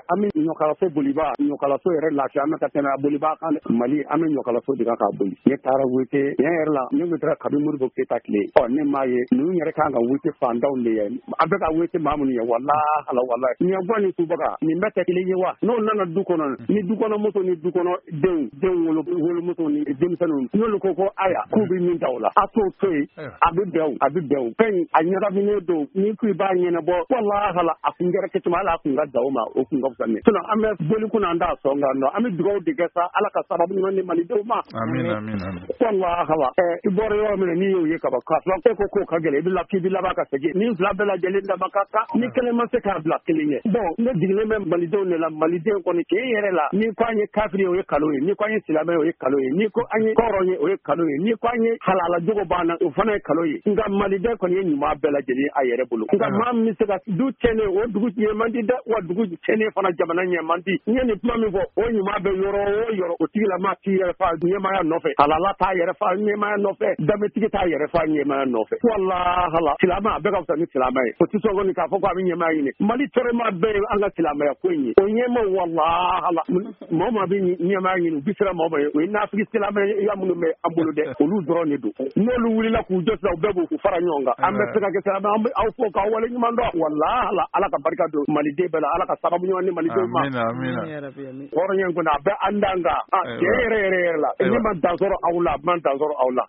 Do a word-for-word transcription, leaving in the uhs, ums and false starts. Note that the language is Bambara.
An bɛ ɲɔkalaso boliba, ɲɔkalaso yɛrɛ lafiya an bɛ ka tɛmɛ a boliba kan. Mali, an bɛ ɲɔkalaso de kan k'a boli. Ne taara wete tiɲɛ yɛrɛ la, ne tun taara kabi Modibo Keyita tile. Ɔ, ne m'a ye ninnu yɛrɛ kan ka wete fantanw de ye. An bɛ ka wete maa minnu ye, walahi walahi, ɲɛguwan ni subaga nin bɛɛ tɛ kelen ye wa? N'o nana du kɔnɔ, ni du kɔnɔ muso ni du kɔnɔ denw denw wolo wolomuso ni denmisɛnninw, n'olu ko ko aya k'u bɛ min ta o la, a t'o to yen, a bɛ bɛn o, a bɛ bɛn o. Fɛn a ɲagaminen don, ni ko i b'a ɲɛnabɔ, walahi, a kun kɛra kɛcogo, hali a kun ka da o ma, o kun ka fisa ne. Sinon an bɛ boli kunna, an t'a sɔn kan nɔ. An bɛ dugawu de kɛ sa, Ala ka sababu ɲuman di malidenw ma. Amin, amin, amin. Walahi, ɛ i bɔra yɔrɔ min na, n'i y'o ye kaban, k'a sɔrɔ e ko k'o ka gɛlɛn, i bɛ la k'i bɛ laban ka segin. Ni fila bɛɛ lajɛlen dama ka kan, ni kelen ma se k'a bila kelen ye. Bon, ne jiginnen bɛ malidenw de la. Maliden kɔni, tiɲɛ yɛrɛ la, ni ko an ye kafiri ye, o ye kalo ye. Ni ko an ye silamɛ ye, o ye kalo ye. Ni ko an ye kɔrɔn ye, o ye kalo ye. Ni ko an ye halala jogo banna, o fana ye kalo ye. Nka maliden kɔni ye ɲuman bɛɛ lajɛlen a yɛrɛ bolo. Nka maa min bɛ se ka du tiɲɛnen, o dugu ɲɛ man di dɛ. Wa dugu tiɲɛnen fana, jamana ɲɛ man di. N ye nin kuma min fɔ, o ɲuman bɛ yɔrɔ o yɔrɔ, o tigilama t'i yɛrɛ fa ɲɛmaaya nɔfɛ, halala t'a yɛrɛ fa ɲɛmaaya nɔfɛ, danbetigi t'a yɛrɛ fa ɲɛmaaya nɔfɛ. Walahala, silamɛ a bɛɛ ka fisa ni silamɛ ye. O tɛ sɔn kɔni k'a fɔ ko a bɛ ɲɛmaaya ɲini. Mali tɔɔrɔma bɛɛ ye an ka silamɛya ko in ye. O ɲɛma, walahala, maa o maa bɛ ɲɛmaaya ɲini, u bɛ siran maa o maa ye, o ye nafigi silamɛ ya minnu bɛ an bolo dɛ, olu dɔrɔn de don. N'olu wulila k'u jɔ sisan, u bɛɛ b'u fara ɲɔgɔn kan. An bɛ se ka kɛ silamɛ, an bɛ aw fo k'aw wale ɲuman dɔn. Walahala, Ala ka barika don maliden bɛɛ la, Ala ka sababu ɲuman di malidenw ma. Hɔrɔnya in kɔni, a bɛ an dan kan tiɲɛ yɛrɛ yɛrɛ yɛrɛ la. Ne ma dan sɔrɔ aw la, a ma dan sɔrɔ aw la.